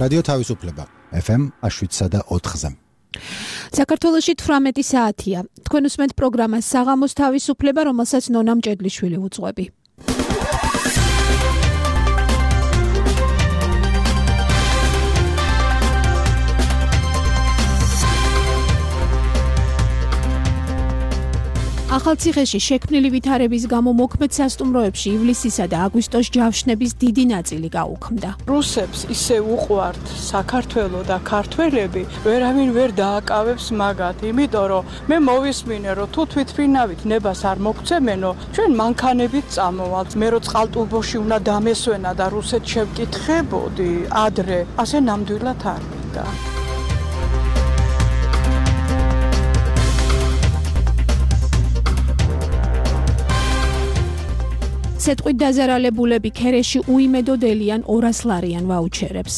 რადიო თავისუფლება FM 107.4-ზე. საქართველოში 18 საათია. თქვენ უსმენთ პროგრამას საღამოს თავისუფლება, რომელსაც ნონა მჭედლიშვილი უძღვები. ახალციხეში შექმნილი ვითარების გამო მოქმედ სასტუმროებში ივლისისა და აგვისტოს ჯავშნების დიდი ნაწილი გაუქმდა. რუსებს ისე უყვართ საქართველო და ქართველები, ვერავინ ვერ დააკავებს მაგათ, იმიტომ რომ მე მოვისმინე, რომ თუ თვითფრინავით ნებას არ მოგცემენო, ჩვენ მანქანებით წამოვალთ. მე რო წყალტუბოში უნდა დამესვენა და რუსეთს შევკითხებოდი ადრე, ასე ნამდვილად არ მინდა. სეტყვით დაზარალებულები ქერეში უიმედოდელიან 200 ლარიან ვაუჩერებს.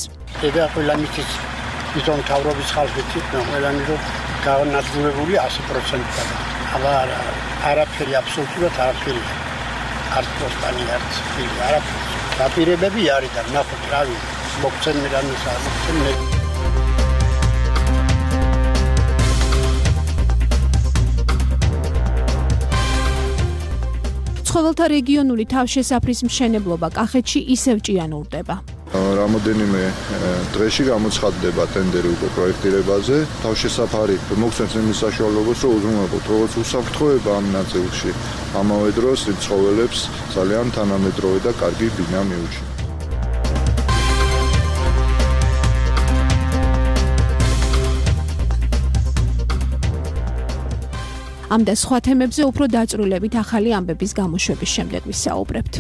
და ყველა მისთვის ისონ თავრობის ხალხით ყველანი რომ განადგურებული 100%-ად. აბა არაფერი აბსოლუტურად არაფერი. არც პოსტანი არც არაფერი. დაპირებები არის და ნახოთ რავი მოგცემენ რამისა მოგცემენ. ცხოველთა რეგიონული თავშესაფრის მშენებლობა კახეთში ისევ ჭიანურდება. რამოდენიმე დღეში გამოცხადდება ტენდერი უკვე პროექტირებაზე. თავშესაფარი მოგცემს იმის საშუალებას, რომ უზრუნველყოთ როგორც უსაფრთხოება ამ ნაწილში, ამავე დროს ცხოველებს ძალიან თანამედროვე და კარგი ბინა მიუჩნია. ამ და სხვა თემებზე უფრო დაწვრილებით ახალი ამბების გამოშვების შემდეგ ვისაუბრებთ.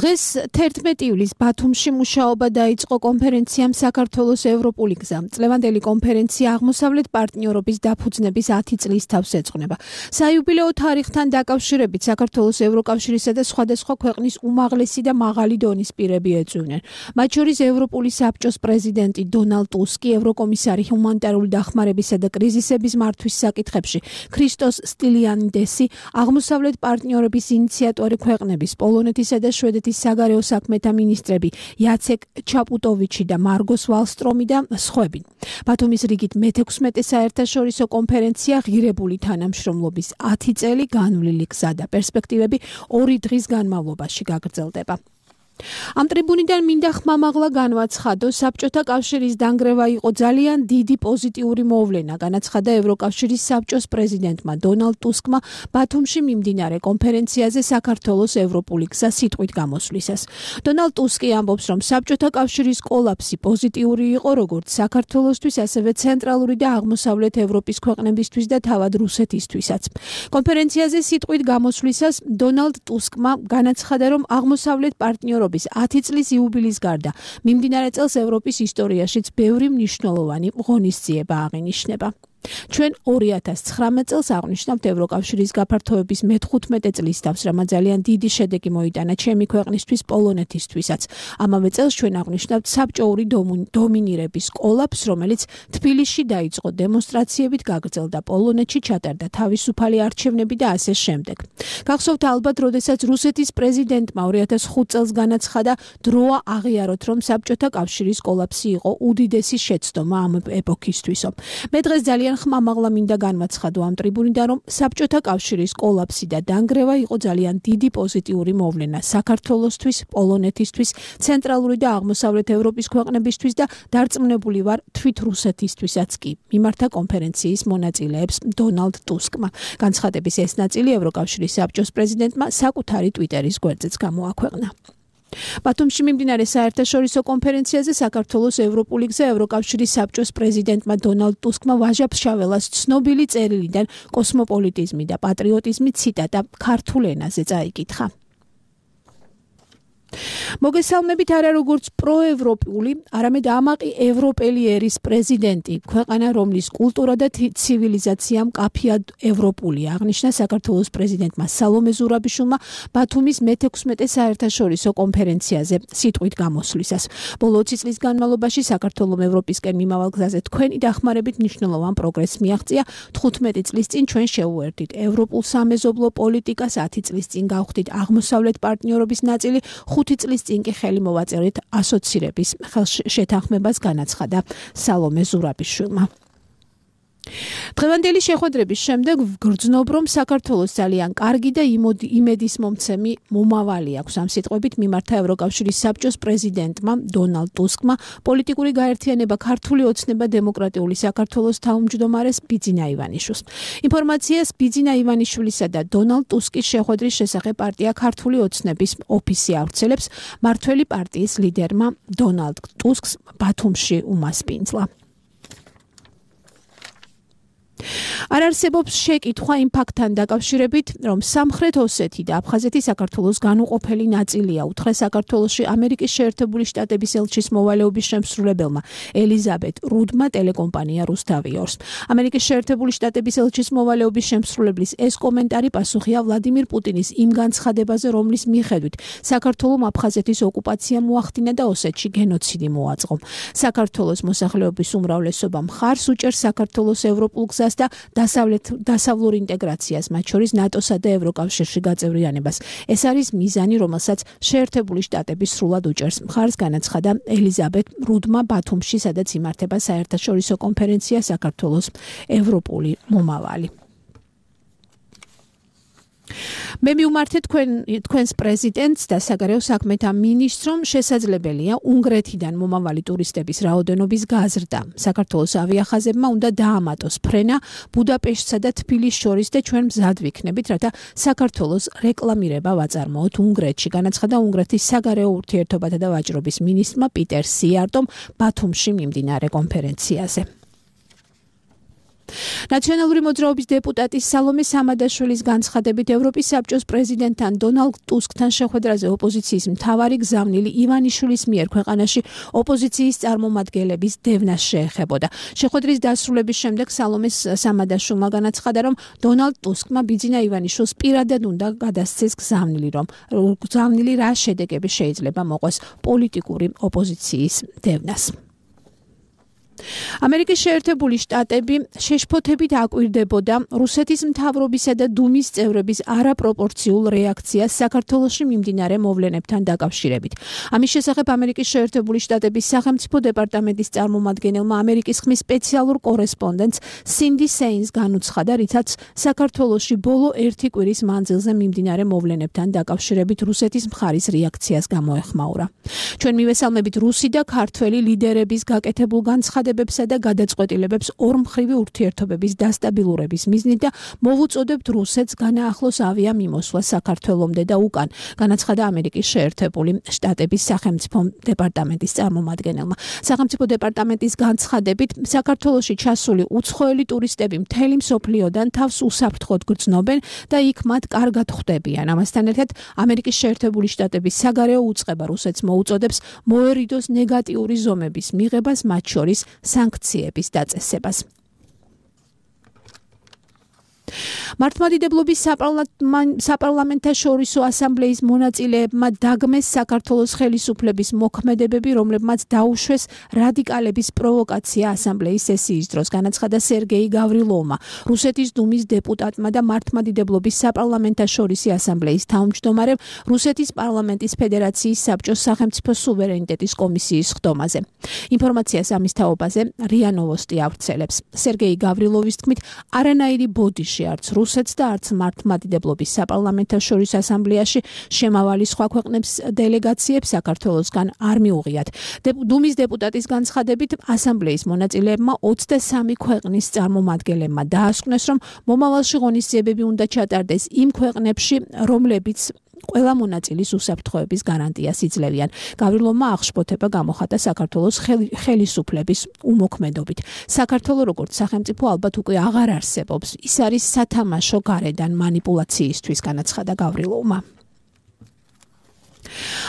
დღეს 11 ივლისს ბათუმში მუშაობა დაიწყო კონფერენციამ საქართველოს ევროპული გზა. წლევანდელი კონფერენცია აღმოსავლეთ პარტნიორობის დაფუძნების 10 წლის თავს ეძღვნება. საიუბილეო თარიღთან დაკავშირებით საქართველოს ევროკავშირისა და სხვადასხვა ქვეყნის უმაღლესი და მაღალი დონის პირები ეწვივნენ. მათ შორის ევროპული საბჭოს პრეზიდენტი დონალდ ტუსკი, ევროკომისარი ჰუმანიტარული დახმარებისა და კრიზისების მართვის საკითხებში ქრისტოს სტილიანიდესი, აღმოსავლეთ პარტნიორობის ინიციატორი ქვეყნების პოლონეთისა და შვედეთის საგარეო საქმეთა მინისტრები იაცეკ ჩაპუტოვიჩი და მარგოს ვალსტრომი და სხვები. ბათუმის რიგით მე-16 საერთაშორისო კონფერენცია ღირებული თანამშრომლობის 10 წელი განვლილი გზა და პერსპექტივები 2 დღის განმავლობაში გაგრძელდება. ამ ტრიბუნიდან მინდა ხმამაღლა განვაცხადო, საბჭოთა კავშირის დანგრევა იყო ძალიან დიდი პოზიტიური მოვლენა, განაცხადა ევროკავშირის საბჭოს პრეზიდენტმა დონალდ ტუსკმა ბათუმში მიმდინარე კონფერენციაზე საქართველოს ევროპული გზა სიტყვით გამოსვლისას. დონალდ ტუსკი ამბობს, რომ საბჭოთა კავშირის კოლაფსი პოზიტიური იყო როგორც საქართველოსთვის, ასევე ცენტრალური და აღმოსავლეთ ევროპის ქვეყნებისთვის და თავად რუსეთისთვისაც. კონფერენციაზე სიტყვით გამოსვლისას დონალდ ტუსკმა განაცხადა, რომ აღმოსავლეთ პარტნიორ 10 წლის იუბილის გარდა მიმდინარე წელს ევროპის ისტორიაშიც ბევრი მნიშვნელოვანი ღონისძიება აღინიშნება. ჩვენ 2019 წელს აღნიშნავთ ევროკავშირის გაფართოების მე-15 წლის თავს, რამაც ძალიან დიდი შედეგი მოიტანა ჩემი ქვეყნისთვის, პოლონეთისთვისაც. ამავე წელს ჩვენ აღნიშნავთ საბჭოური დომინირების კოლაფს, რომელიც თბილისში დაიწყო დემონსტრაციებით, გაგრძელდა პოლონეთში, ჩატარდა თავისუფალი არჩევნები და ასე შემდეგ. გახსოვთ ალბათ, როდესაც რუსეთის პრეზიდენტმა 2005 წელს განაცხადა, დროა აღიაროთ, რომ საბჭოთა კავშირის კოლაფსი იყო უდიდესი შეცდომა ამ ეპოქისთვისო. მე დღეს ძალიან ხმამაღლა მინდა განვაცხადო ამ ტრიბუნიდან, რომ საბჭოთა კავშირის კოლაფსი და დანგრევა იყო ძალიან დიდი პოზიტიური მოვლენა საქართველოსთვის, პოლონეთისთვის, ცენტრალური და აღმოსავლეთ ევროპის ქვეყნებისთვის და დარწმუნებული ვარ თვით რუსეთისთვისაც კი. მიმართა კონფერენციის მონაწილეებს დონალდ ტუსკმა. განცხადების ეს ნაწილი ევროკავშირის საბჭოს პრეზიდენტმა საკუთარი ტვიტერის გვერდზეც გამოაქვეყნა. ბათუმში მიმდინარე საერთაშორისო კონფერენციაზე საქართველოს ევროპული გზა ევროკავშირის საბჭოს პრეზიდენტმა დონალდ ტუსკმა ვაჟა-ფშაველას ცნობილი წერილიდან კოსმოპოლიტიზმი და პატრიოტიზმი ციტატა ქართულ ენაზე წაიკითხა. მოგესალმებით არა როგორც პროევროპული, არამედ ამაყი ევროპელი ერის პრეზიდენტი, ქვეყანა რომლის კულტურა და ცივილიზაცია მკაფიად ევროპულია, აღნიშნა საქართველოს პრეზიდენტმა სალომე ზურაბიშვილმა ბათუმის მე-16 საერთაშორისო კონფერენციაზე სიტყვით გამოსვლისას. ბოლო 20 წლის განმავლობაში საქართველოს ევროპისკენ მიმავალ გზაზე თქვენი დახმარებით მნიშვნელოვან პროგრესს მიაღწია. 15 წლის წინ ჩვენ შევუერთდით ევროპულ სამეზობლო პოლიტიკას, 10 წლის წინ გავხდით აღმოსავლეთ პარტნიორობის ნაწილი, 5 წლის წინ კი ხელი მოვაწერეთ ასოცირების შეთანხმებას, განაცხადა სალომე ზურაბიშვილმა. დღევანდელი შეხვედრების შემდეგ ვგრძნობ, რომ საქართველოს ძალიან კარგი და იმედისმომცემი მომავალი აქვს. ამ სიტყვებით მიმართა ევროკავშირის საბჭოს პრეზიდენტმა დონალდ ტუსკმა პოლიტიკური გაერთიანება ქართული ოცნება დემოკრატიული საქართველოს თავმჯდომარეს ბიძინა ივანიშვილს. ინფორმაციას ბიძინა ივანიშვილისა და დონალდ ტუსკის შეხვედრის შესახებ პარტია ქართული ოცნების ოფისი ავრცელებს. მართველი პარტიის ლიდერმა დონალდ ტუსკს ბათუმში უმასპინძლა. არ არსებობს შეკითხვა იმ ფაქტთან დაკავშირებით, რომ სამხრეთ ოსეთი და აფხაზეთი საქართველოს განუყოფელი ნაწილია, უთხრა საქართველოში ამერიკის შეერთებული შტატების ელჩის მოვალეობის შემსრულებელმა ელიზაბეთ რუდმა ტელეკომპანია რუსთავიორს. ამერიკის შეერთებული შტატების ელჩის მოვალეობის შემსრულებლის ეს კომენტარი პასუხია ვლადიმირ პუტინის იმ განცხადებაზე, რომლის მიხედვით საქართველოს აფხაზეთის ოკუპაცია მოახდინა და ოსეთში გენოციდი მოაწყო. საქართველოს მოსახლეობის უმრავლესობა მხარს უჭერს საქართველოს ევროპულ გზას და დასავლურ ინტეგრაციას, მათ შორის ნატოსა და ევროკავშირში გაწევრიანებას. ეს არის მიზანი, რომელსაც შეერთებული შტატები სრულად უჭერს მხარს, განაცხადა ელიზაბეთ რუდმა ბათუმში, სადაც იმართება საერთაშორისო კონფერენცია საქართველოს ევროპული მომავალი. მე მივმართე თქვენს პრეზიდენტს და საგარეო საქმეთა მინისტრს, რომ შესაძლებელია უნგრეთიდან მომავალი ტურისტების რაოდენობის გაზრდა. საქართველოს ავიახაზებმა უნდა დაამატოს ფრენა ბუდაპეშტსა და თბილისს შორის და ჩვენ მზად ვიქნებით, რათა საქართველოს რეკლამირება ვაწარმოოთ უნგრეთში, განაცხადა უნგრეთის საგარეო ურთიერთობათა და ვაჭრობის მინისტრმა პიტერ სიარტომ ბათუმში მიმდინარე კონფერენციაზე. ნაციონალური მოძრაობის დეპუტატი სალომე სამადაშვილის განცხადებით ევროპის საბჭოს პრეზიდენტთან დონალდ ტუსკთან შეხვედრაზე ოპოზიციის მთავარი გზავნილი ივანიშვილის მიერ ქვეყანაში ოპოზიციის წარმომადგენლების დევნას შეეხებოდა. შეხვედრის დასრულების შემდეგ სალომე სამადაშვილმა განაცხადა, რომ დონალდ ტუსკმა ბიძინა ივანიშვილს პირადად უნდა გადასცეს გზავნილი რა შედეგები შეიძლება მოყვეს პოლიტიკური ოპოზიციის დევნას. ამერიკის შეერთებული შტატები შეშფოთებით აკვირდებოდა რუსეთის მთავრობისა და დუმის წევრების არაპროპორციულ რეაქციას საქართველოში მიმდინარე მოვლენებთან დაკავშირებით. ამის შესახებ ამერიკის შეერთებული შტატების სახელმწიფო დეპარტამენტის წარმომადგენელმა ამერიკის ხმის სპეციალურ კორესპონდენტს სინდი სეინს განუცხადა, რითაც საქართველოში ბოლო 1 კვირის მანძილზე მიმდინარე მოვლენებთან დაკავშირებით რუსეთის მხარის რეაქციას გამოეხმაურა. ჩვენ მივესალმებით რუსი და ქართველი ლიდერების გაკეთებულ განცხადებებსა და გადაწყვეტილებებს ორმხრივი ურთიერთობების დასტაბილურების მიზნით და მოვუწოდებთ რუსეთს განაახლოს ავიამიმოსვლა საქართველომდე და უკან, განაცხადა ამერიკის შეერთებული შტატების სახელმწიფო დეპარტამენტის წარმომადგენელმა. სახელმწიფო დეპარტამენტის განცხადებით, საქართველოში ჩასული უცხოელი ტურისტები მთელი მსოფლიოდან თავს უსაფრთხოდ გრძნობენ და იქ მათ კარგად ხვდებიან. ამასთან ერთად, ამერიკის შეერთებული შტატების საგარეო უწყება რუსეთს მოუწოდებს მოერიდოს ნეგატიური ზომების მიღებას, მათ შორის სანქციების დაწესებას. მართლმადიდებლობის საპარლამენტაშორისო ასამბლეის მონაწილეებმა დაგმეს საქართველოს ხელისუფლების მოქმედებები, რომლებმაც დაუშვეს რადიკალების პროვოკაცია ასამბლეის სესიის დროს, განაცხადა სერგეი გავრილოვმა, რუსეთის დუმის დეპუტატმა და მართლმადიდებლობის საპარლამენტაშორისი ასამბლეის თავმჯდომარემ რუსეთის პარლამენტის ფედერაციის საბჭოს სახელმწიფო სუვერენიტეტის კომისიის ხდომაზე. ინფორმაციას ამის თაობაზე რია ნოვოსტი ავრცელებს. სერგეი გავრილოვის თქმით, არანაირი ბოდიში არც რუსეთს და არც მართლმადიდებლობის საპარლამენტაშორისო ასამბლეაში შემავალი სხვა ქვეყნებს დელეგაციებს საქართველოსგან არ მიუღიათ. დუმის დეპუტატის განცხადებით, ასამბლეის მონაწილეებმა 23 ქვეყნის წარმომადგენლებმა დაასკვნეს, რომ მომავალში ღონისძიებები უნდა ჩატარდეს იმ ქვეყნებში, რომლებიც ყველა მონაწილის უსაფრთხოების გარანტიას იძლევიან. გავრილოვმა აღშფოთება გამოხატა საქართველოს ხელისუფლების უმოქმედობით. საქართველოს როგორც სახელმწიფო ალბათ უკვე აღარ არსებობს. ის არის სათამაშო გარედან მანიპულაციისთვის, განაცხადა გავრილოვმა.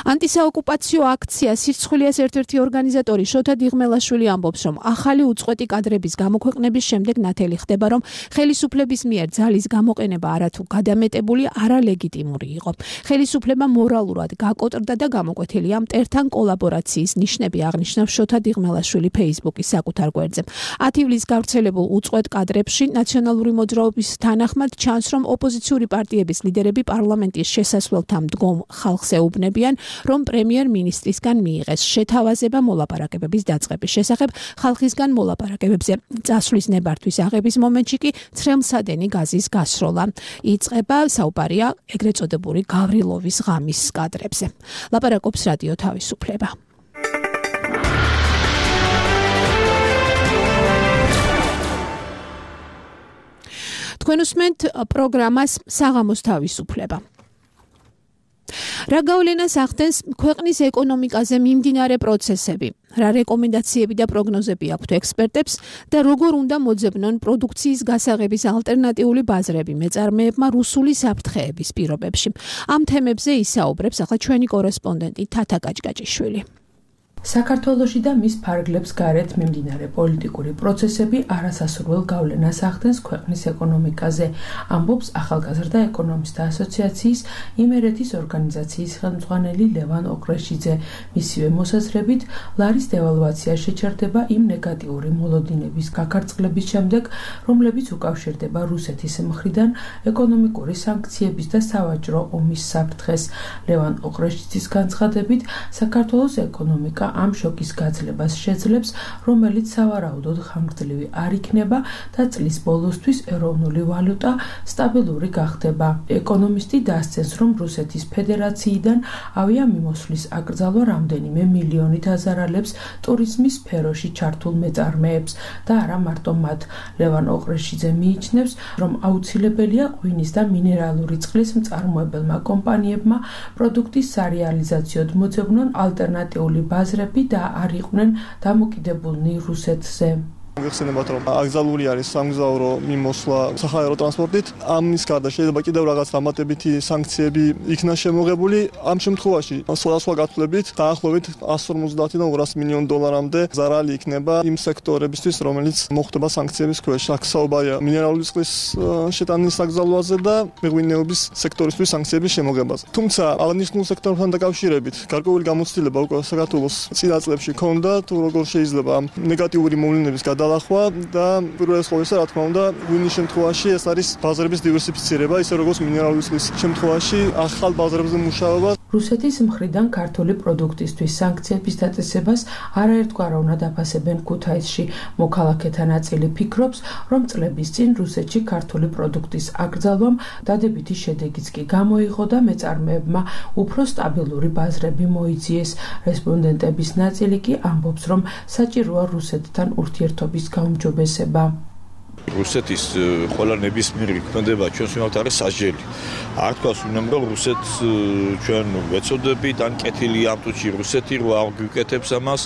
ანტისაოკუპაციო აქცია სირცხვილიას ერთ-ერთი ორგანიზატორი შოთა დიღმელაშვილი ამბობს, რომ ახალი უწყვეტი კადრების გამოქვეყნების შემდეგ ნათელი ხდება, რომ ხელისუფლების მიერ ძალის გამოყენება არათუ გადამეტებული, არალეგიტიმური იყო. ხელისუფლება მორალურად გაკოტრდა და გამოკვეთილია მტერთან კოლაბორაციის ნიშნები აღნიშნავს შოთა დიღმელაშვილი Facebook-ის საკუთარ გვერდზე. 10 ივლისს გავრცელებულ უწყვეტ კადრებში ნაციონალური მოძრაობის თანახმად ჩანს, რომ ოპოზიციური პარტიების ლიდერები პარლამენტის შესასვლელთან მდგომ ხალხს ეუბნებიან, რომ პრემიერ-მინისტრისგან მიიღეს შეთავაზება მოლაპარაკებების დაწყების შესახებ. ხალხისგან მოლაპარაკებებზე წასვლის ნებართვის აღების მომენტში კი ცრემლსადენი გაზის გასროლა იწყება. საუბარია ეგრეთ წოდებული გავრილოვის ღამის კადრებზე. ლაპარაკობს რადიო თავისუფლება. თქვენ უსმენთ პროგრამას საღამოს თავისუფლება. რა გავლენას ახდენს ქვეყნის ეკონომიკაზე მიმდინარე პროცესები? რა რეკომენდაციები და პროგნოზები აქვთ ექსპერტებს და როგორ უნდა მოძებნონ პროდუქციის გასაღების ალტერნატიული ბაზრები მეწარმეებმა რუსული საფრთხეების პირობებში? ამ თემებზე ისაუბრებს ახლა ჩვენი კორესპონდენტი თათა კაჭკაჭიშვილი. საქართველოში და მის ფარგლებს გარეთ მიმდინარე პოლიტიკური პროცესები არასასურველ გავლენას ახდენს ქვეყნის ეკონომიკაზე, ამბობს ახალგაზრდა ეკონომისტთა ასოციაციის იმერეთის ორგანიზაციის ხელმძღვანელი ლევან ოქრეშიძე. მისივე მოსაზრებით, ლარის დევალვაცია შეჩერდება იმ ნეგატიური მოლოდინების გაქარწყლების შემდეგ, რომლებიც უკავშირდება რუსეთის მხრიდან ეკონომიკური სანქციების და სავაჭრო ომის საფრთხეს. ლევან ოქრეშიძის განცხადებით, საქართველოს ეკონომიკა ამ შოკის გაძლებას შეძლებს, რომელიც სავარაუდოდ ხანგრძლივი არ იქნება და წლის ბოლოსთვის ეროვნული ვალუტა სტაბილური გახდება. ეკონომისტი დასცენს, რომ რუსეთის ფედერაციიდან ავიამიმოსვლის აკრძალვა რამდენიმე მილიონით აზარალებს ტურიზმის სფეროში ჩართულ მეწარმეებს და არა მარტო მათ. ლევან ოყრეშიძე მიიჩნევს, რომ აუცილებელია ღვინის და მინერალური წყლის მწარმოებელმა კომპანიებმა პროდუქტის სარეალიზაციოდ მოძებნონ ალტერნატიული ბაზრები და არ იყვნენ დამოკიდებულნი რუსეთზე. ვიხსენებათ, რომ აკრძალული არის სამგზავრო მიმოსვლა საჰაერო ტრანსპორტით. ამის გარდა შეიძლება კიდევ რაღაც დამატებითი სანქციები იქნა შემოღებული. ამ შემთხვევაში სხვადასხვა გათვლებით დაახლოებით 150-დან 200 მილიონ დოლარამდე ზარალი იქნება იმ სექტორებისთვის, რომელიც მოხვდება სანქციების ქვეშ. აქ საუბარია მინერალური წყლის შეტანის აკრძალვაზე და მეღვინეობის სექტორისთვის სანქციების შემოღებაზე. თუმცა აღნიშნულ სექტორთან დაკავშირებით გარკვეული გამოცდილება უკვე საქართველოს წინა წლებში ჰქონდა, თუ როგორ შეიძლება ამ ნეგატიური მოვლენების გადალახვა და პირველ ყოვლისა, რა თქმა უნდა, ღვინის შემთხვევაში ეს არის ბაზრების დივერსიფიცირება, ისე როგორც მინერალური წყლის შემთხვევაში ახალ ბაზრებზე მუშაობა. რუსეთის მხრიდან ქართული პროდუქტისთვის სანქციების დაწესებას არაერთგვაროვნად აფასებენ ქუთაისში. მოქალაქეთა ნაწილი ფიქრობს, რომ წლების წინ რუსეთში ქართული პროდუქტის აკრძალვამ დადებითი შედეგიც კი გამოიღო და მეწარმეებმა უფრო სტაბილური ბაზრები მოიძიეს. რესპონდენტების ნაწილი კი ამბობს, რომ საჭიროა რუსეთთან ურთიერთობის გაუმჯობესება. რუსეთის ყველა ნებისმიერი ქმედება ჩვენს მიმართ არის სასჯელი. არ თქვას უნდა რომ რუსეთს ჩვენ ვეცოდებით, ან კეთილია ამ წუთში რუსეთი რო არ გვიკეთებს ამას.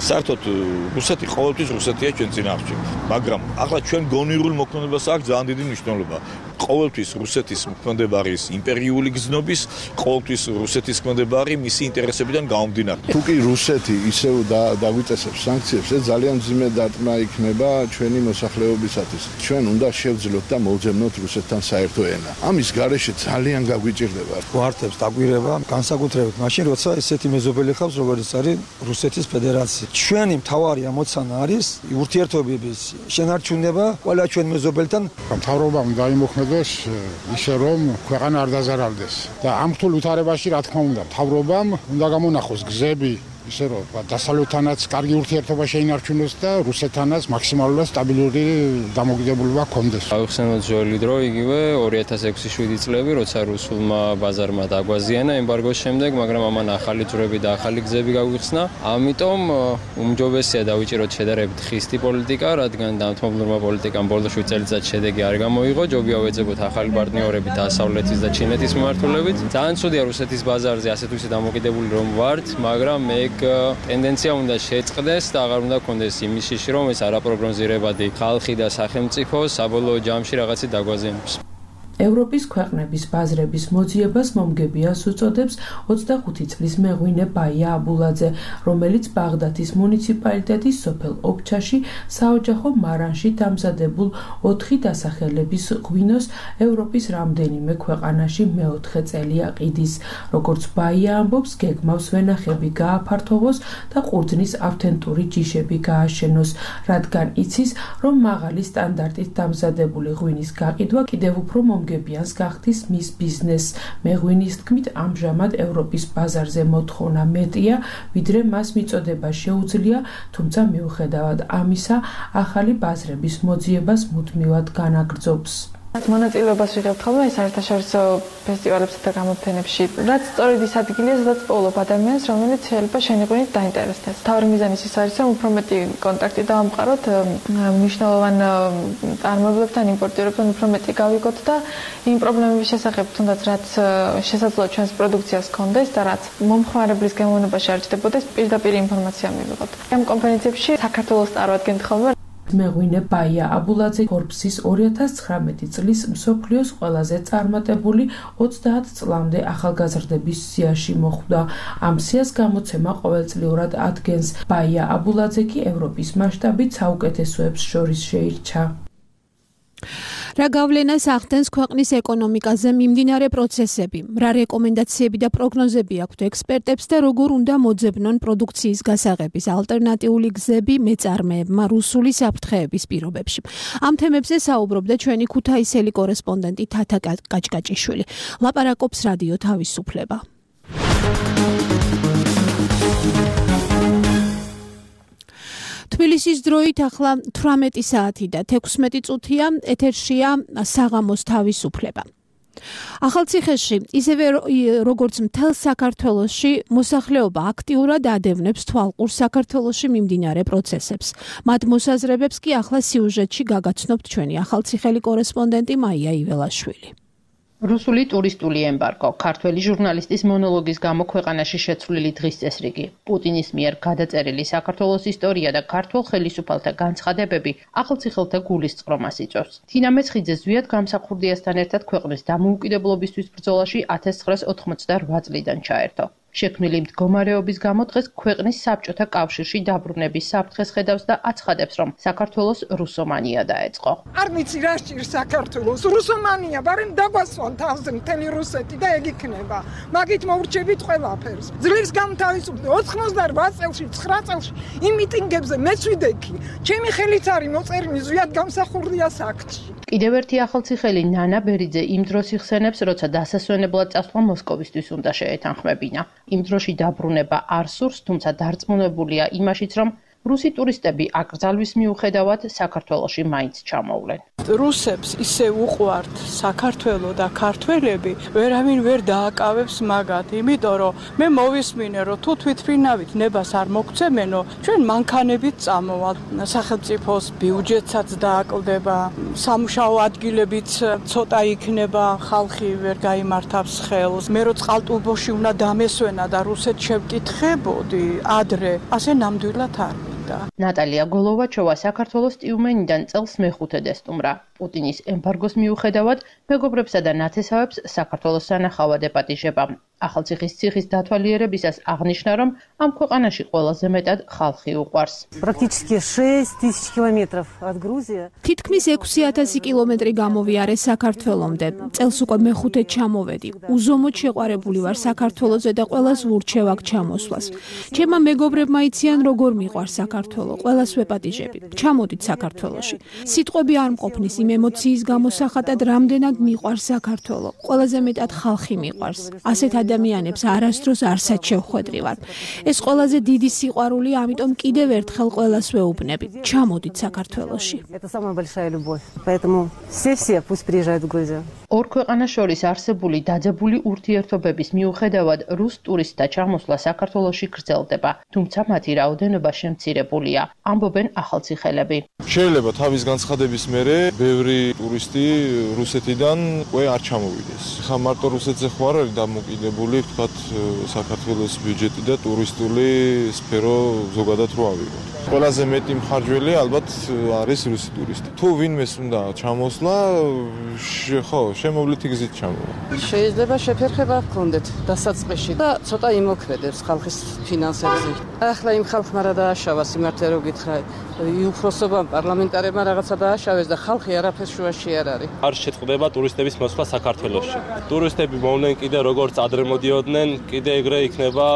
საერთოდ რუსეთი ყოველთვის რუსეთია ჩვენ წინააღმდეგ. მაგრამ ახლა ჩვენ გონივრულ მოქმედებას აქვს ძალიან დიდი მნიშვნელობა. ყოველთვის რუსეთის მოქმედება არის იმპერიული გზნობის, ყოველთვის რუსეთის მოქმედება არის მისი ინტერესებიდან გამომდინარე. თუ კი რუსეთი ისევ დაგვიწესებს სანქციებს, ეს ძალიან მძიმე დარტყმა იქნება ჩვენი მოსახლეობისათვის. ჩვენ უნდა შევძლოთ და მოვძებნოთ რუსეთთან საერთო ენა. ამის გარეშე ძალიან გაგვიჭირდება. გვართებს დაგვირება, განსაკუთრებით მაშინ, როცა ესეთი მეზობელი ხავს, როგორც არის რუსეთის ფედერაცია. ჩვენი მთავარი ამოცანა არის ურთიერთობების შენარჩუნება ყველა ჩვენ მეზობელთან. მთავრობამ დაიმოქმედოს ისე რომ ქვეყანა არ დაზარალდეს და ამ რთულ ვითარებაში, რა თქმა უნდა, მთავრობამ უნდა გამონახოს გზები ისე რომ დასავლეთთანაც კარგი ურთიერთობა შეინარჩუნოს და რუსეთთანაც მაქსიმალურად სტაბილური დამოკიდებულება ჰქონდეს. ავიხსენოთ ძველი დრო, იგივე 2006-7 წლები, როცა რუსულმა ბაზარმა დაგვაზიანა ემბარგოს შემდეგ, მაგრამ ამან ახალი ძვრები და ახალი გზები გაგვიხსნა. ამიტომ უმჯობესია დავიჭიროთ შედარებით ხისტი პოლიტიკა, რადგან დამთმობლურმა პოლიტიკამ ბოლო 7 წელიწადში შედეგი არ გამოიღო. ჯობია ვეძებოთ ახალი პარტნიორები დასავლეთის და ჩინეთის მიმართულებით. ძალიან ცუდია რუსეთის ბაზარზე ასეთ ვისი დამოკიდებული რომ ვართ, მაგრამ მე ტენდენცია უნდა შეწყდეს და აღარ უნდა გქონდეს იმის შიში, რომ ეს არაპროგნოზირებადი ხალხი და სახელმწიფო საბოლოო ჯამში რაღაცით დაგვაზიანებს. ევროპის ქვეყნების ბაზრების მოძიებას მომგებიანს უწოდებს 25 წლის მეღვინე ბაია აბულაძე, რომელიც ბაღდათის მუნიციპალიტეტის სოფელ ობჩაში საოჯახო მარანში დამზადებულ 4 დასახელების ღვინოს ევროპის რამდენიმე ქვეყანაში მეოთხე წელია ყიდის. როგორც ბაია ამბობს, გეგმავს ვენახები გააფართოვოს და ყურძნის ავთენტური ჯიშები გააშენოს, რადგან იცის, რომ მაღალი სტანდარტით დამზადებული ღვინის გაყიდვა კიდევ უფრო მომგებიანს გახდის მის ბიზნესს. მეღვინის თქმით, ამჟამად ევროპის ბაზარზე მოთხოვნა მეტია, ვიდრე მას მიწოდება შეუძლია, თუმცა მიუხედავად ამისა, ახალი ბაზრების მოძიებას მუდმივად განაგრძობს. მონაწილეობას ვიღებთ ხოლმე საერთაშორისო ფესტივალებსა და გამოფენებში, რაც სწორედ ის ადგილია, სადაც პოულობ ადამიანს, რომელიც შეიძლება შენი ღვინით დაინტერესდეს. თავი მიზანის ის არის, რომ უფრო მეტი კონტაქტი დავამყაროთ მნიშვნელოვან წარმოებლებთან, იმპორტირებთან უფრო მეტი გავიგოთ და იმ პრობლემების შესახებ, თუნდაც რაც შესაძლოა ჩვენს პროდუქციას ჰქონდეს და რაც მომხმარებლის გემოვნებაში არ ჭდებოდეს, პირდაპირ ინფორმაცია მივიღოთ. ამ კონფერენციებში საქართველოს წარვადგენთ ხოლმე მეღვინე ბაია აბულაძე Forbes-ის 2019 წლის მსოფლიოს ყველაზე წარმატებული 30 წლამდე ახალგაზრდების სიაში მოხვდა. ამ სიას გამოცემა ყოველწლიურად ადგენს. ბაია აბულაძე კი ევროპის მასშტაბით საუკეთესოებს შორის შეირჩა. რა გავლენას ახდენს ქვეყნის ეკონომიკაზე მიმდინარე პროცესები, რა რეკომენდაციები და პროგნოზები აქვთ ექსპერტებს და როგორ უნდა მოძებნონ პროდუქციის გასაღების ალტერნატიული გზები მეწარმეებმა რუსული საფრთხეების პირობებში. ამ თემებზე საუბრობდა ჩვენი ქუთაისელი კორესპონდენტი თათა კაჭკაჭიშვილი. ლაპარაკობს რადიო თავისუფლება. თბილისის დროით ახლა 18 საათი და 16 წუთია, ეთერშია საღამოს თავისუფლება. ახალციხეში, ისევე როგორც მთელ საქართველოში, მოსახლეობა აქტიურად ადევნებს თვალყურს საქართველოში მიმდინარე პროცესებს. მათ მოსაზრებებს კი ახლა სიუჟეტში გაგაცნობთ ჩვენი ახალციხელი კორესპონდენტი მაია იველაშვილი. რუსული ტურისტული ემბარგო, ქართველი ჟურნალისტის მონოლოგის გამო ქვეყანაში შეცვლილი დღის წესრიგი, პუტინის მიერ გადაწერილი საქართველოს ისტორია და ქართველ ხელისუფალთა განცხადებები ახალციხელთა გულისწყრომას იწვევს. თინა მეცხიძე ზვიად გამსახურდიასთან ერთად ქვეყნის დამოუკიდებლობისთვის ბრძოლაში 1988 წლიდან ჩაერთო. შექმნილი მდგომარეობის გამო დღეს ქვეყნის საბჭოთა კავშირში დაბრუნების საფრთხეს ხედავს და აცხადებს, რომ საქართველოს რუსომანია დაეწყო. არ ვიცი რა სჭირს საქართველოს რუსომანია, ბარემ დაგვასვან თავზე მთელი რუსეთი და ეგ იქნება. მაგით მოურჩებით ყველაფერს. ძლივს გამთავისუფლდი 88 წელში, 9 წელში იმ მიტინგებზე მეც ვიდექი. ჩემი ხელით არის მოწერილი ზვიად გამსახურდიას აქტში. კიდევ ერთი ახალციხელი ნანა ბერიძე იმ დროს იხსენებს, როცა დასასვენებლად წასვლა მოსკოვისთვის უნდა შეეთანხმებინა. იმ დროში დაბრუნება არ სურს, თუმცა დარწმუნებულია იმაშიც, რომ რუსი ტურისტები აკრძალვის მიუხედავად საქართველოში მაინც ჩამოვლენ. რუსებს ისე უყვართ საქართველო და ქართველები, ვერავინ ვერ დააკავებს მაგათ, იმიტომ რომ მე მოვისმინე, რომ თუ თვითფრინავით ნებას არ მოგცემენო, ჩვენ მანქანებით წამოვალ. სახელმწიფოს ბიუჯეტსაც დააკლდება, სამუშაო ადგილებიც ცოტა იქნება, ხალხი ვერ გაიმართავს ხელს. მე რო წყალტუბოში უნდა დამესვენა და რუსეთს შევკითხებოდი ადრე, ასე ნამდვილად არ ნატალია გოლოვაჩოვა საქართველოს ტიუმენიდან წელს მეხუთედ ესტუმრა. პუტინის ემბარგოს მიუხედავად, მეგობრებსა და ნათესავებს საქართველოს სანახავად ეპატიჟება. ახალციხის ციხის დათვალიერებისას აღნიშნა, რომ ამ ქვეყანაში ყველაზე მეტად ხალხი უყვარს. თითქმის 6000 კილომეტრი გამოვიარე საქართველომდე. წელს უკვე მეხუთედ ჩამოვედი. უზომოდ შეყვარებული ვარ საქართველოზე და ყველას ვურჩევ აქ ჩამოსვლას. ჩემმა მეგობრებმა იციან, როგორ მიყვარს საქართველო. ყველას ვეპატიჟები. ჩამოდით საქართველოში. სიტყვები არ მყოფნის იმ ემოციის გამოსახატად, რამდენად მიყვარს საქართველო. ყველაზე მეტად ხალხი მიყვარს. ასეთ ადამიანებს არასდროს არსად შევხვედრივარ. ეს ყველაზე დიდი სიყვარულია, ამიტომ კიდევ ერთხელ ყველას ვეუბნები. ჩამოდით საქართველოში. ორ ქვეყანას შორის არსებული დაძაბული ურთიერთობების მიუხედავად რუს ტურისტთა ჩამოსვლა საქართველოში გრძელდება, თუმცა მათი რაოდენობა შემცირებულია, ამბობენ ახალციხელები. შეიძლება თავის განცხადების მერე ბევრი ტურისტი რუსეთიდან უკვე არ ჩამოვიდეს. ხა მარტო რუსეთზე ხო არ არის დამოკიდებული, ვთქვათ, საქართველოს ბიუჯეტი და ტურისტული სფერო ზოგადად რო ავიღოთ. ყველაზე მეტი მხარჯველი ალბათ არის რუსი ტურისტი. თუ ვინმეს უნდა ჩამოსვლა, ხო, შემოვლითი გზით ჩამოვა. შეიძლება შეფერხება ჰქონდეთ დასაწყისში და ცოტა იმოქმედებს ხალხის ფინანსებზე. ახლა იმ ხალხმა რა დააშავა სიმართლე რო გითხრა, უფროსობამ პარლამენტარებმა რაღაცა დააშავეს და ხალხი არაფერს შუაში არ არის. არ შეწყდება ტურისტების მოსვლა საქართველოში. ტურისტები მოვლენ კიდე როგორც ადრე მოდიოდნენ, კიდე ეგრე იქნება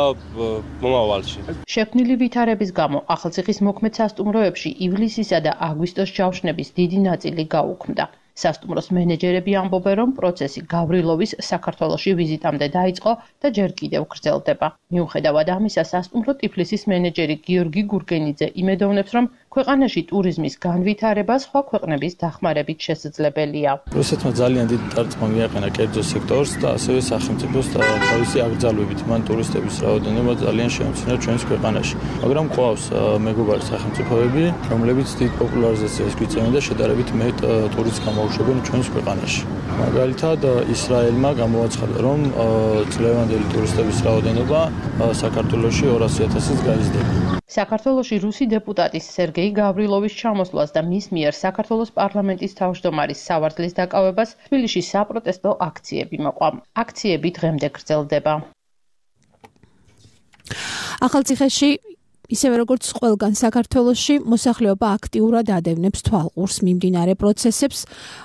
მომავალში. შექმნილი ვითარების გამო ახალციხის მოქმედ სასტუმროებში ივლისისა და აგვისტოს ჯავშნების დიდი ნაწილი გაუქმდა. სასტუმროს მენეჯერები ამბობენ, რომ პროცესი გავრილოვის საქართველოში ვიზიტამდე დაიწყო და ჯერ კიდევ გრძელდება. მიუხედავად ამისა, სასტუმრო ტიფლისის მენეჯერი გიორგი გურგენიძე იმედოვნებს, რომ ქვეყანაში ტურიზმის განვითარება სხვა ქვეყნების დახმარებით შესაძლებელია. რუსეთმა ძალიან დიდი დარტყმა მიაყენა კერძო სექტორს და ასევე სახელმწიფოს თავისი აკრძალვებით მან ტურისტების რაოდენობა ძალიან შეამცირა ჩვენს ქვეყანაში. მაგრამ ყავს მეგობარი სახელმწიფოები, რომლებიც დიდ პოპულარიზაციას გვიწევენ და შედარებით მეტ ტურისტს გამოუშვებენ ჩვენს ქვეყანაში. მაგალითად, ისრაელმა გამოაცხადა, რომ წლევანდელი ტურისტების რაოდენობა საქართველოში 200,000-ს გაიზრდება. საქართველოში რუსი დეპუტატის სერგეი გავრილოვის ჩამოსვლას და მის მიერ საქართველოს პარლამენტის თავმჯდომარის სავარძლის დაკავებას თბილისში საპროტესტო აქციები მოყვა. აქციები დღემდე გრძელდება. ახალციხეში ისევე როგორც ყველგან საქართველოში მოსახლეობა აქტიურად ადევნებს თვალყურს მიმდინარე პროცესებს.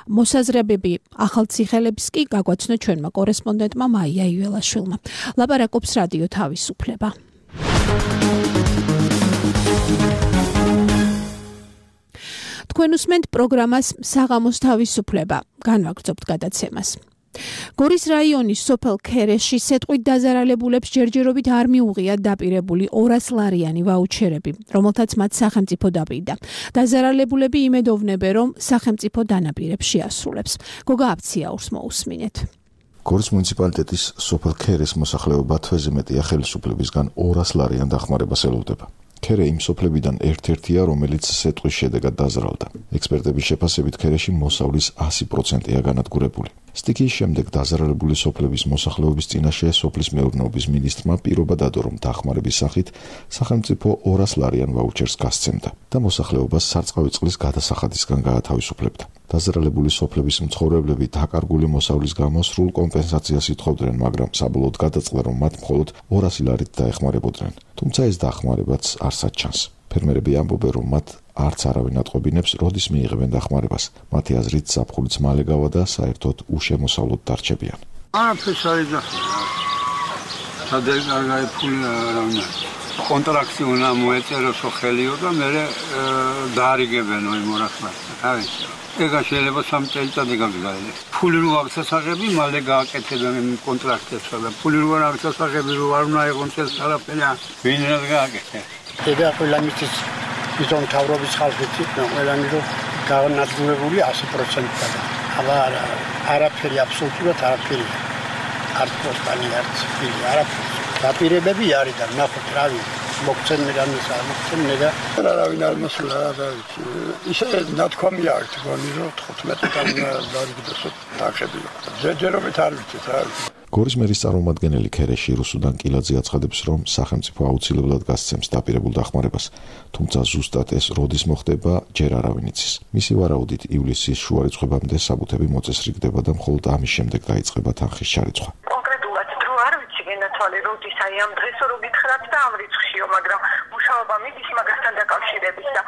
მოსაზრებები ახალციხელებს კი გაგვაცნო ჩვენმა კორესპონდენტმა მაია იველაშვილმა. ლაპარაკობს რადიო თავისუფლება. თქვენ უსმენთ პროგრამას საღამოს თავისუფლება. განვაგრძობთ გადაცემას. გორის რაიონის სოფელ ქერეში სეტყვით დაზარალებულებს ჯერჯერობით არ მიუღიათ დაპირებული 200 ლარიანი ვაუჩერები, რომელთაც მათ სახელმწიფო დაპირდა. დაზარალებულები იმედოვნებენ, რომ სახელმწიფო დანაპირებს შეასრულებს. გოგა აფციაურს მოусმინეთ. გორის მუნიციპალიტეტის სოფელ ქერეს მოსახლეობა თვეზე მეტია ხელისუფლებისგან 200 ლარიან დახმარებას ელოდება. ქერე იმ სოფლებიდან ერთ-ერთია, რომელიც სეტყვის შედეგად დაზარალდა. ექსპერტების შეფასებით ქერეში მოსავლის 100%-ია განადგურებული. სტიქიის შემდეგ დაზარალებული სოფლების მოსახლეობის წინაშე სოფლის მეურნეობის მინისტრმა პირობა დადო, რომ დახმარების სახით სახელმწიფო 200 ლარიან ვაუჩერს გასცემდა და მოსახლეობას სარწყავი წყლის გადასახადისგან გაათავისუფლებდა. დაზარალებული სოფლების მცხოვრებლები დაკარგული მოსავლის გამო სრულ კომპენსაციას ითხოვდნენ, მაგრამ საბოლოოდ გადაწყდა, რომ მათ მხოლოდ 200 ლარით დაეხმარებოდნენ. თუმცა ეს დახმარებაც არსად ჩანს. ფერმერები ამბობენ, რომ მათ არც არავინ ატყობინებს, როდის მიიღებენ დახმარებას. მათი აზრით საფხულიც მალე გავა და საერთოდ უშემოსავლოდ დარჩებიან. არაფერს არ ეძახიან. სადღაც ფული არავინ. კონტრაქტი უნდა მოეწეროს ხელიო და მე დაარიგებენო იმ 200 ლარს. აი ეგა შეიძლება 3 წელიწადი გაგზავნოს. ფული რო აღსასაღები, მალე გააკეთებენ იმ კონტრაქტებს და ფული რო არ აღსასაღები რო არ უნდა იყოს წელს არაფერი. ვინ რა გააკეთებს? ეხლა ყველა მისთვის ისონ თავრობის ხალხიც იქნა, ყველანი რო განადგურებული 100%-ად. აბა არაფერი აბსოლუტურად არაფერი. არც პოსტანი, არც ფილი, არაფერი. დაპირებები არის და ნახოთ რა ვინ მოგცემენ რამისა მოგცემენ და არავინ არ მოსულა და ისე ნათქვამი აქვს გონი რომ 15-დან დარიგდოს დახები. ჯერჯერობით არ ვიცით რა. გორის მერის წარმომადგენელი ქერეში რუსუდან კილაძე აცხადებს, რომ სახელმწიფო აუცილებლად გასცემს დაპირებულ დახმარებას, თუმცა ზუსტად ეს როდის მოხდება, ჯერ არავინ იცის. მისი ვარაუდით ივლისის შუა რიცხვებამდე საბუთები მოწესრიგდება და მხოლოდ ამის შემდეგ დაიწყება თანხის ჩარიცხვა. როდის აი ამ დღესო რო გითხრათ და ამ რიცხვშიო, მაგრამ მუშაობა მიდის მაგასთან დაკავშირებით და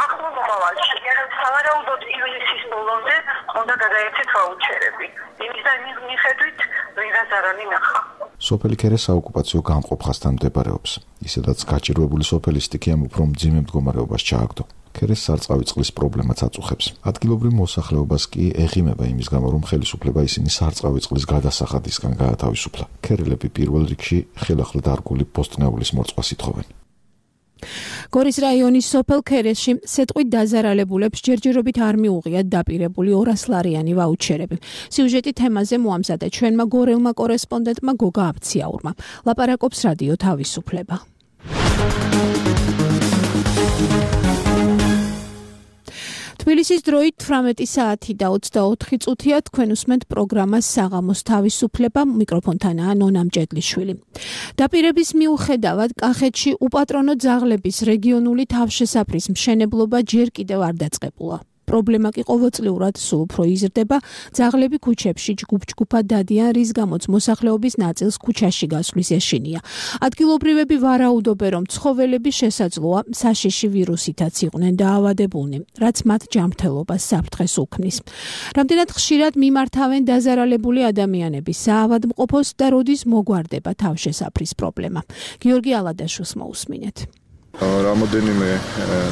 ახლო მომავალში სავარაუდოდ ივლისის ბოლომდე უნდა გადაეცეთ ვაუჩერები. იმის და იმის მიხედვით ვიღაც არ არის ნახა. სოფელი ქერე საოკუპაციო გამყოფხასთან მდებარეობს. ისედაც გაჭირვებული სოფელი სტიქიამ უფრო მძიმე მდგომარეობას ჩააგდო. ქერეს სარწყავი წყლის პრობლემაც აწუხებს. ადგილობრივ მოსახლეობას კი ეღიმება იმის გამო, რომ ხელისუფლება ისინი სარწყავი წყლის გადასახადისგან გაათავისუფლა. ქერელები პირველ რიგში ხელახლა დარგული პოსტნეულის მოწყობას ითხოვენ. გორის რაიონის სოფელ ქერეში სეტყვით დაზარალებულებს ჯერჯერობით არ მიუღიათ დაპირებული 200 ლარიანი ვაუჩერები. სიუჟეტი თემაზე მოამზადა ჩვენმა გორელმა კორესპონდენტმა გოგა აფციაურმა. ლაპარაკობს რადიო თავისუფლება. თბილისის დროით 18 საათი და 24 წუთია თქვენ უსმენთ პროგრამას საღამოს თავისუფლება, მიკროფონთანაა ნონა მჭედლიშვილი. დაპირების მიუხედავად კახეთში უპატრონო ძაღლების რეგიონული თავშესაფრის მშენებლობა ჯერ კიდევ არ დაწყებულა. პრობლემა კი ყოველწლიურად სულ უფრო იზრდება. ძაღლები ქუჩებში ჯგუფ-ჯგუფად დადიან, რის გამოც მოსახლეობის ნაწილს ქუჩაში გასვლის ეშინია. ადგილობრივები ვარაუდობენ, რომ ცხოველები შესაძლოა საშიში ვირუსითაც იყვნენ დაავადებულნი, რაც მათ ჯანმრთელობას საფრთხეს უქმნის. რამდენად ხშირად მიმართავენ დაზარალებული ადამიანები საავადმყოფოს და როდის მოგვარდება თავშესაფრის პრობლემა. გიორგი ალადაშვილს მოусმინეთ. რამოდენიმე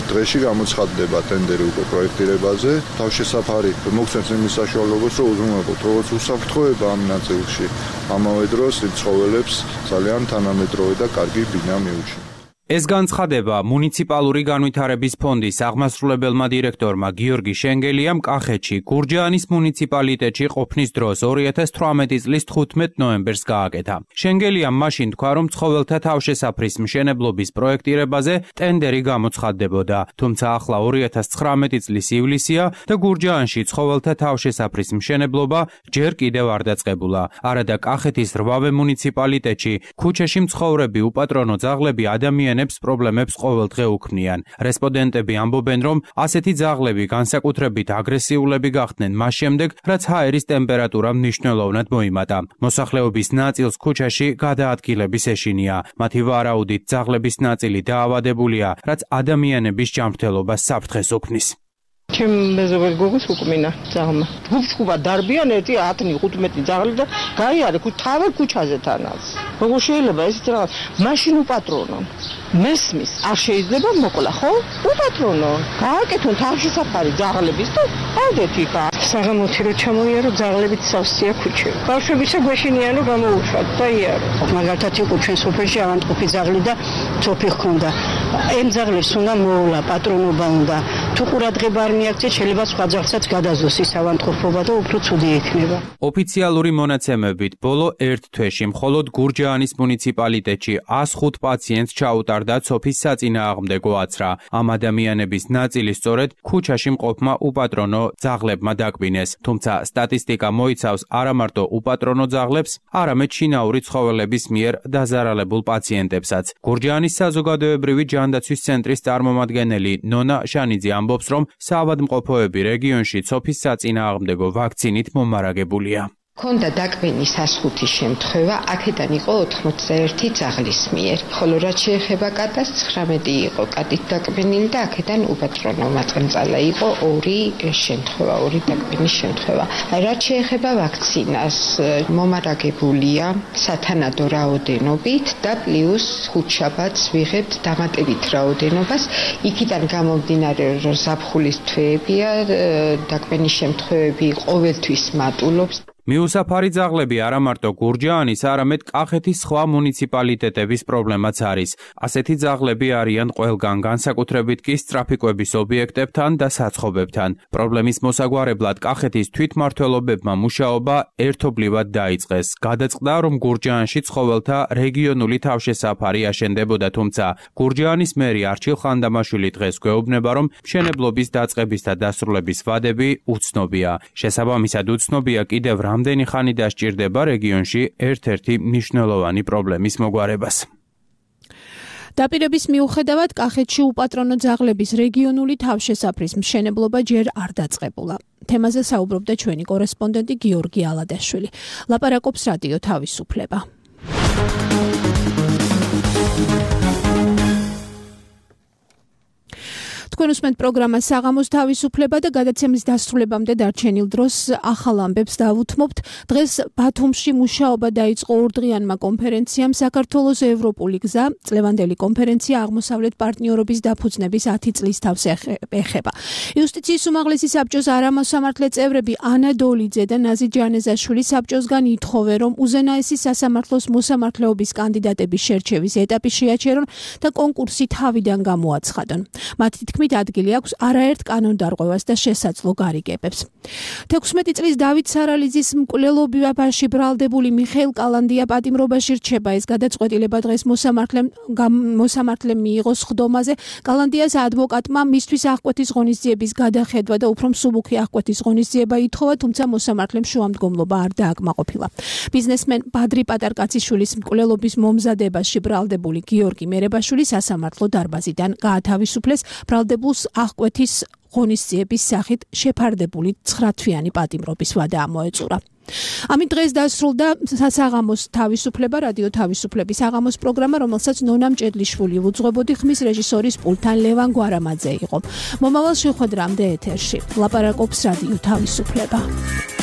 დღეში გამოცხადდება ტენდერი უკვე პროექტირებაზე. თავშესაფარი მოგცემს იმის საშუალებას, რომ უზრუნველყოთ როგორც უსაფრთხოება ამ ნაწილში, ამავე დროს ცხოველებს ძალიან თანამედროვე და კარგი ბინა მიუჩნია. ეს განცხადება მუნიციპალური განვითარების ფონდის აღმასრულებელმა დირექტორმა გიორგი შენგელიამ კახეთში გურჯაანის მუნიციპალიტეტში ყოფნის დროს 2018 წლის 15 ნოემბერს გააკეთა. შენგელიამ მაშინ თქვა, რომ ცხოველთა თავშესაფრის მშენებლობის პროექტირებაზე ტენდერი გამოცხადდებოდა, თუმცა ახლა 2019 წლის ივლისია და გურჯაანში ცხოველთა თავშესაფრის მშენებლობა ჯერ კიდევ არ დაწყებულა. არადა კახეთის 8 მუნიციპალიტეტში ქუჩაში მცხოვრები უპატრონო ძაღლები ადამიანებს პრობლემებს ყოველდღე უქმნიან. რესპონდენტები ამბობენ, რომ ასეთი ძაღლები განსაკუთრებით აგრესიულები გახდნენ მას შემდეგ, რაც ჰაერის ტემპერატურა მნიშვნელოვნად მოიმატა. მოსახლეობის ნაწილს ქუჩაში გადაადგილების ეშინია. მათი ვარაუდით ძაღლების ნაწილი დაავადებულია, რაც ადამიანების ჯანმრთელობას საფრთხეს უქმნის. ჩემ მეზობელ გოგოს უკმინა ძაღლმა. გუფშკუბა დარბიან 10-15 ძაღლი და გაიარე თავად ქუჩაზე თანაც. როგორ შეიძლება ესეთ რაღაც მაშინ უპატრონონ. მესმის არ შეიძლება მოკლა, ხო? უპატრონონ. გააკეთონ თავშესაფარი ძაღლების და ავდეთ იქ. საღამოთი რო ჩამოიარო ძაღლებით სავსეა ქუჩები. ბავშვებისა გვეშინიან რომ გამოუშვათ და იარო. მაგალითად იყო ჩვენ სოფელში ავანტყოფი ძაღლი და ცოფი ჰქონდა. ამ ძაღლებს უნდა მოვლა, პატრონობა უნდა. თუ ყურადღება არ მიაქცეთ, შეიძლება სხვა ძაღლსაც გადაზოს ის ავანტყოფობა და უფრო ცუდი იქნება. ოფიციალური მონაცემებით, ბოლო ერთ თვეში მხოლოდ გურჯაანის მუნიციპალიტეტში 105 პაციენტს ჩაუტარდა ცოფის საწინააღმდეგო აცრა. ამ ადამიანების ნაწილი სწორედ ქუჩაში მყოფმა უპატრონო ძაღლებმა დაკვინეს. თუმცა სტატისტიკა მოიცავს არა მარტო უპატრონო ძაღლებს, არამედ შინაური ცხოველების მიერ დაზარალებულ პაციენტებსაც. გურჯაანის საზოგადოებრივი ჯანდაცვის ცენტრის წარმომადგენელი ნონა შანიძე ამბობს, რომ საავადმყოფოები რეგიონში ცოფის საწინააღმდეგო ვაქცინით მომარაგებულია. ქონდა დაკვენის 105 შემთხვევა, აქედან იყო 81 ძაღლის მიერ. ხოლო რაც შეეხება კატას 19 იყო კატით დაკვენილი და აქედან უპატრონო მატყნწალა იყო 2 შემთხვევა, 2 დაკვენის შემთხვევა. რაც შეეხება ვაქცინას, მომარაგებულია სათანადო რაოდენობით და პლუს ხუთშაბათს ვიღებთ დამატებით რაოდენობას. იქიდან გამომდინარე, რომ ზაფხულის თვეებია, დაკვენის შემთხვევები ყოველთვის მატულობს. მიუსაფარი ძაღლები არა მარტო გურჯაანის, არამედ კახეთის სხვა მუნიციპალიტეტების პრობლემაც არის. ასეთი ძაღლები არიან ყველგან, განსაკუთრებით კი სტრაფიკების ობიექტებთან და საცხობებთან. პრობლემის მოსაგვარებლად კახეთის თვითმმართველობებმა მუშაობა ერთობლივად დაიწყეს. გადაწყდა, რომ გურჯაანში ცხოველთა რეგიონული თავშესაფარი აშენდებოდა, თუმცა გურჯაანის მერი არჩილ ხანდამაშვილი დღეს გვეუბნება, რომ მშენებლობის დაწყების და დასრულების ვადები უცნობია. შესაბამისად უცნობია კიდევ რამდენი ხანი დასჭირდება რეგიონში ერთ-ერთი მნიშვნელოვანი პრობლემის მოგვარებას. დაპირების მიუხედავად კახეთში უპატრონო ძაღლების რეგიონული თავშესაფრის მშენებლობა ჯერ არ დაწყებულა. თემაზე საუბრობდა ჩვენი კორესპონდენტი გიორგი ალადაშვილი. ლაპარაკობს რადიო თავისუფლება. თქვენ უსმენთ პროგრამას საღამოს თავისუფლება და გადაცემის დასრულებამდე დარჩენილ დროს ახალ ამბებს დავუთმობთ. დღეს ბათუმში მუშაობა დაიწყო ორდღიანმა კონფერენციამ საქართველოს ევროპული გზა. წლევანდელი კონფერენცია აღმოსავლეთ პარტნიორობის დაფუძნების 10 წლის თავს ეხება. იუსტიციის უმაღლესი საბჭოს არამოსამართლე წევრები ანა დოლიძე და ნაზი ჯანეზაშვილი საბჭოსგან ითხოვენ, რომ უზენაესი სასამართლოს მოსამართლეობის კანდიდატების შერჩევის ეტაპი შეაჩერონ და კონკურსი თავიდან გამოაცხადონ. მათი თქმით ადგილი აქვს არაერთ კანონდარღვევას და შესაძლო გარიგებებს. 16 წლის დავით სარალიძის მკვლელობებაში ბრალდებული მიხეილ კალანდია პატიმრობაში რჩება. ეს გადაწყვეტილება დღეს მოსამართლემ მიიღო სხდომაზე. კალანდიას ადვოკატმა მისთვის აღკვეთის ღონისძიების გადახედვა და უფრო მსუბუქი აღკვეთის ღონისძიება ითხოვა, თუმცა მოსამართლემ შუამდგომლობა არ დააკმაყოფილა. ბიზნესმენ ბადრი პატარკაციშვილის მკვლელობის მომზადებაში ბრალდებული გიორგი მერებაშვილი სასამართლო დარბაზიდან გაათავისუფლეს. ბრალდებული დავალებულს აღკვეთის ღონისძიების სახით შეფარდებული 9-თვიანი პატიმრობის ვადა ამოეწურა. ამით დღეს დასრულდა სასაღამოს თავისუფლება, რადიო თავისუფლების საღამოს პროგრამა, რომელსაც ნონა მჭედლიშვილი უძღვებოდი, ხმის რეჟისორის პულტთან ლევან გვარამაძე იყო. მომავალ შეხვედრამდე ეთერში ლაპარაკობს რადიო თავისუფლება.